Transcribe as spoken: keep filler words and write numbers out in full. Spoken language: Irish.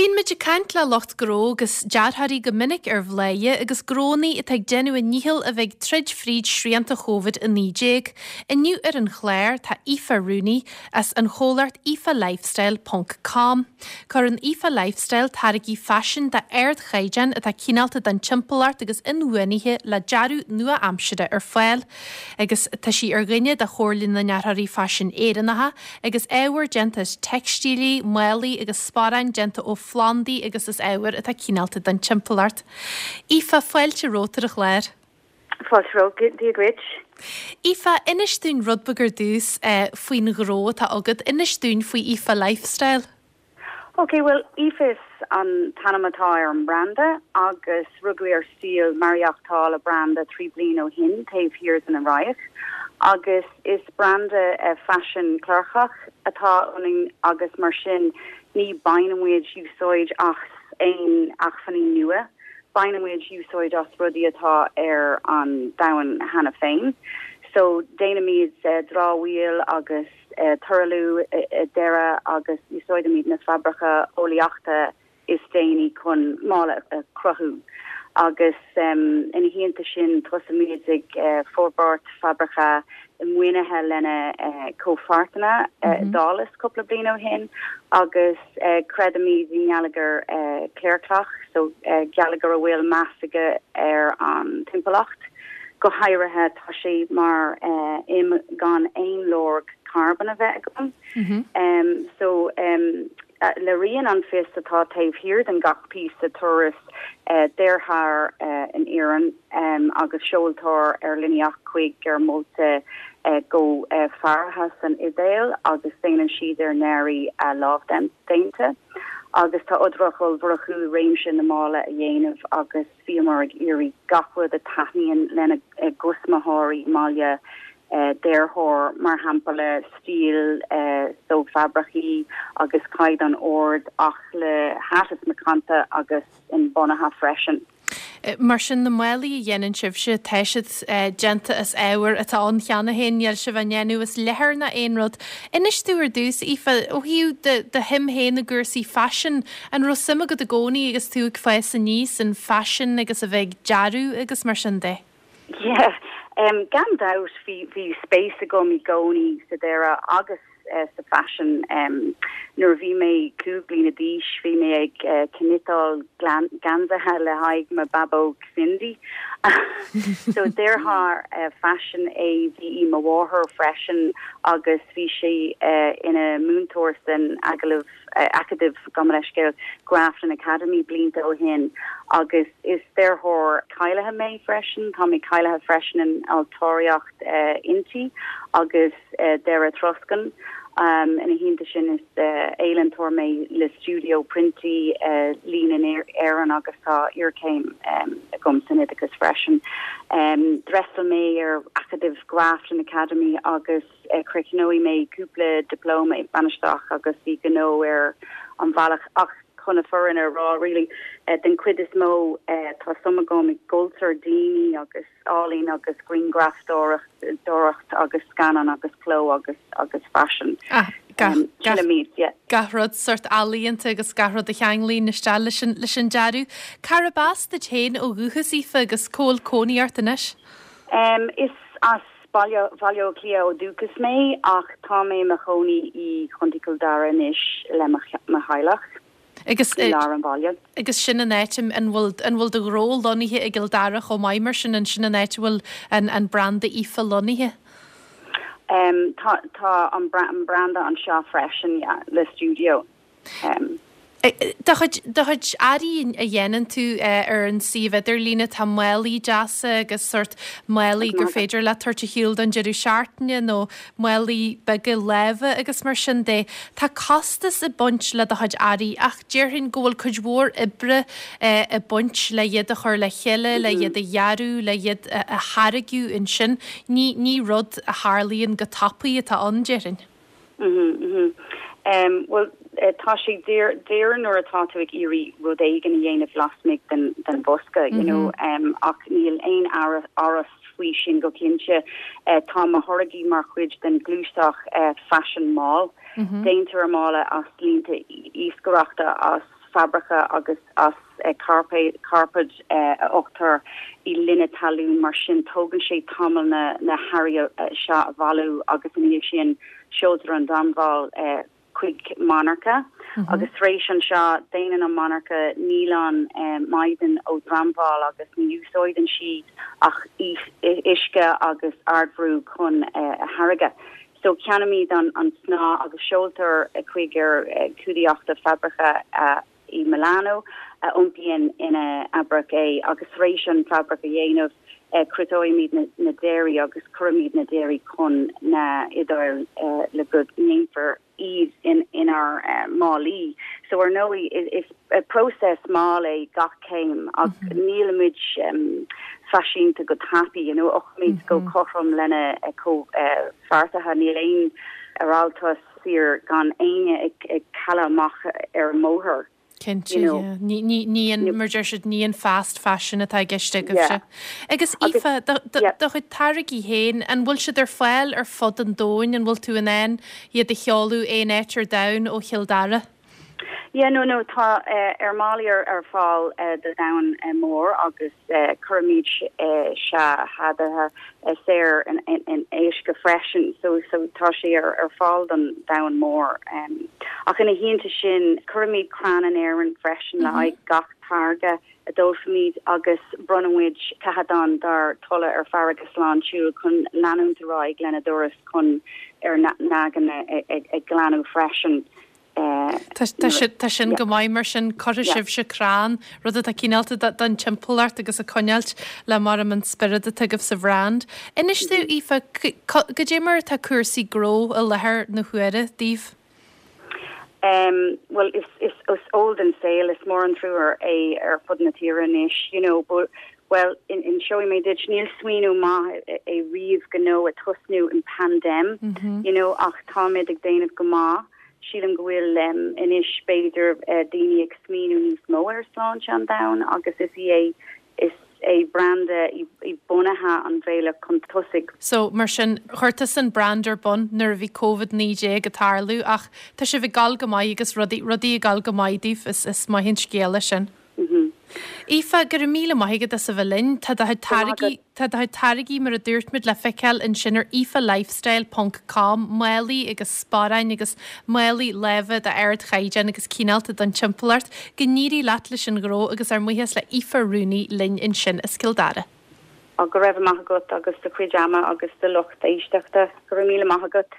Bíonn muid ag caint le lucht gnó agus dearthóirí go minic ar Bhladhaire agus gnónna atá ag déanamh a ndícheall a bheith ag troid fríd srianta Covid a naoi déag. Inniu ar an chlár tá Aoife Rooney as an chomhlacht Aoife Lifestyle ponc com. Cuireann Aoife Lifestyle táirgí faisin d'ardchaighdeán atá cineálta don timpeallacht agus inbhuanaithe le dearadh nua-aimseartha ar fáil. Agus tá sí ar dhuine de Chomhairle na nDearthóirí Faisin Éireannacha agus ábhar déanta as teicstílí, málaí agus sparáin déanta ó phlandaí agus as ábhair atá cineálta don timpeallacht. Aoife, fáilte romhat ar an chlár. Fáilte romhat, Dia duit. Aoife, inis dúinn rud beag ar dtús eh, faoin ghnó atá agat, inis dúinn faoi Aoife Lifestyle. Ok, well Aoife is an t-ainm atá ar an branda agus rugadh ar stíl maireachtála branda trí bliana ó shin taobh thiar den Fhrainc. Agus is branda uh, faisin clearchach atá ionainn agus mar sin ní bhainimid úsáid as aon acmhainní nua, bainimid úsáid as rudaí atá ar an domhan cheana féin. So déanaimid uh, dramhaíl agus uh, truailliú uh, dearadh agus úsáidimid na fabraicí eolaíochta is déanaí chun mála a chruthú. Agus um, ina theannta sin tosaímid ag uh, forbairt fabraice maoinithe lena uh, comhpháirteanna uh, mm -hmm. dálas cúpla bliain ó shin agus uh, creidimid i ngeilleagar uh, clearclach, so uh, geilleagar a bhfuil meas aige ar an timpeallacht. Go háirithe tá sé mar uh, im gan aon lorg carbón a bheith agam. Mm -hmm. um, so um, uh, léiríonn an fios atá taobh thiar den gach píosa turas uh, dearthóir uh, in Éirinn um, agus seoltóir ar líneach chuig ar mholta uh, go uh, Ferrara san Iodáil agus déanann siad ar n-earraí uh, lámhdéanta. Agus tá oidhreacht ollmhór acu réimse na mála a dhéanamh agus bhíomar ag iarraidh gach rud a thaitníonn lena gcustaiméirí maille uh, dearthóir mar shampla stíl uh, so fabraicí agus caighdeán ard ach le háit macánta agus inbhuanaithe freisin. Mar sin na málaí a dhéanann sibhse tá siad déanta as ábhar atá ann cheana féin níl sibh á ndéanamh as leathan ná aon rud. Inis dom ar dtús Aoife ó thaobh do shuim féin i gcúrsaí faisin an raibh suim agat i gcónaí agus tú ag fás aníos an faisean agus a bheith ag dearadh agus mar sin de. Yeah, um, gan dabht bhí bhí spéis agam i gcónaí sa dearadh agus uh, sa faisean um, nuair bhí mé cúig bliana d'aois bhí mé ag uh, cniotáil geansaithe le haghaidh mo bhabóg Cindy. so dearthóir uh, faisin é bhí mo mháthair freisin agus bhí sé uh, ina múinteoir san agallamh uh, acadamh gabh mo leithscéal Grafton Academy blianta ó shin agus is dearthóir cáilithe mé freisin tá mé cáilithe freisin in ailtireacht uh, intí agus uh, dearadh troscán. Um, ina theannta sin is uh, ealaíontóir mé le studio priontaí uh, lín in Éirinn agus tá iarchéim um, agam san oideachas freisin. Um, D'fhreastail mé ar acadamh Grafton Academy agus uh, chríochnaigh mé cúpla diplóma i bainistíocht agus i gnó ar an bhealach ach chun na fírinne a rá really uh, den chuid is mó uh, tá suim agam i gcultúr daoine agus ealaín agus grianghrafadóireacht agus scannán agus cló agus agus faisean. Ah, um, yeah. Gach rud sórt ealaíonta agus gach rud a cheanglaíonn isteach leis an leis an dearadh. Cárb as duit féin ó dhúchas Aoife agus cá bhfuil cónaí ort anois? Um, is as Baile Baile Átha Cliath ó dhúchas mé ach tá mé i mo chónaí i Contae Chill Dara anois le mo theaghlach. Agus lár an bhaile. Agus sin an áit an bhfuil an bhfuil do ghnó lonnaithe i gCill Dara chomh maith mar sin an sin an áit bhfuil an an branda Aoife lonnaithe? Um, tá tá an an branda anseo freisin yeah, le studio. Um, Do chuid do chuid earraí a dhéanann tú ar an suíomh idirlíne tá málaí deasa agus sórt málaí gur féidir le tabhairt ar shiúl don deireadh seachtaine nó málaí beaga láimhe agus mar sin de. Tá costas ag baint le do chuid earraí ach déarfainn go bhfuil cuid mhór oibre ag baint le iad a chur le chéile, le iad a dhearadh, le iad a tháirgeadh ansin. Ní ní rud a tharlaíonn go tapaidh atá ann déarfainn. Mm -hmm, Um, well uh, tá sé daor daor nuair atá tú ag iarraidh rud éigin a dhéanamh lasmuigh den den bosca you know mm -hmm. um, ach níl aon amhras faoi sin go cinnte uh, tá mo tháirgí mar chuid den ghluaiseacht uh, fashion mall mm -hmm. Déantar mála as línte iascaireachta as fabraice agus as cairpéad a fhiuchtar i gloine talún mar sin tógann sé tamall na na hearraí seo a bhailiú agus ina dhiaidh sin seoltar an dramhaíl chuig monarcha agus tar éis anseo déanann an monarcha níolan maighdean ó dramhaíl agus ní úsáideann sí ach uisce agus ardbhrú chun a tháirgeadh. So ceannaímid an an snáth agus seoltar chuig ár cuideachta fabraice i Milano a iompaíonn ina fhabraic é agus tar éis an fabraic a dhéanamh cruthaímid na, na dearaí agus cuirimid na dearaí chun na Iodáile le go ndéanfar iad in inár uh, málaí. So ar ndóigh is, is a process mall é gach céim ach mm -hmm. nílimid um, faiseanta go tapaidh you know, óchaimid mm -hmm. go cothrom lena co uh, pháirtithe níl aon aráltas saor gan éinne ag, ag cailleadh amach ar an mbóthar. Cinnte ní an mar siad ní an fast fashion atá i gceist agaibhse. Agus Aoife do chuid táirgí féin an bhfuil siad ar fáil ar fud an domhain an bhfuil tú in ann iad a sheoladh aon áit ar domhan ó Chill Dara? Yeah, no no tá uh, ar málaí ar ar fáil uh, do domhan uh, mór agus uh, cuirimid uh, seachadadh uh, saor in, in, in aisce freisin so so tá sé ar ar fáil don domhan mór um, ach ina theannta sin cuirimid crann in Éirinn freisin mm -hmm. le gach táirge a dhíolaimid agus bronnfaimid ceathadán dár dtoilleadh ar Farraige Sláintiúil chun leanúint ar aghaidh lena dturas chun ar n-aga ag, ag glanadh freisin. Tá sin go maith mar sin cuirfidh sibhse crann rud atá cineálta don timpeallacht agus a choinneáilt le mar an spiorad atá agaibh sa bhrand. Inis dom Aoife goidé mar atá cúrsaí gnó i láthair na huaire daoibh? Um, well is is is old and sale is mór an trua é ar fud na tíre anois you know but well in in showing me dit níl smaoineamh maith é riamh gnó a thosnú in pandem mm -hmm. you know ach táimid ag déanamh go maith sílim go bhfuil um, anois b'fhéidir uh, daoine ag smaoineamh níos mó ar sláinte an domhain agus is é is é branda i, i bunaithe an bhealach chun tosaigh. So mar sin chuir tú an brand ar bun nuair a bhí COVID naoi déag ag tarlú ach tá sibh ag gabháil go maith agus rudaí rudaí ag gabháil go maith daoibh is is maith an scéal sin. Mm -hmm. Aoife go raibh míle maith agat as a bheith linn tá do táirgí Tá do táirgí mar a dúirt muid le feiceáil ansin ar aoifelifestyle.com málaí agus sparáin agus málaí láimhe d'ardchaighdeán agus cineálta don timpeallacht go n-éirí leat leis an ghnó agus ár mbuíochas le Aoife Rooney linn ansin as Cill Dara. A go raibh maith agat agus do chuid ama agus do lucht éisteachta go raibh míle maith agat.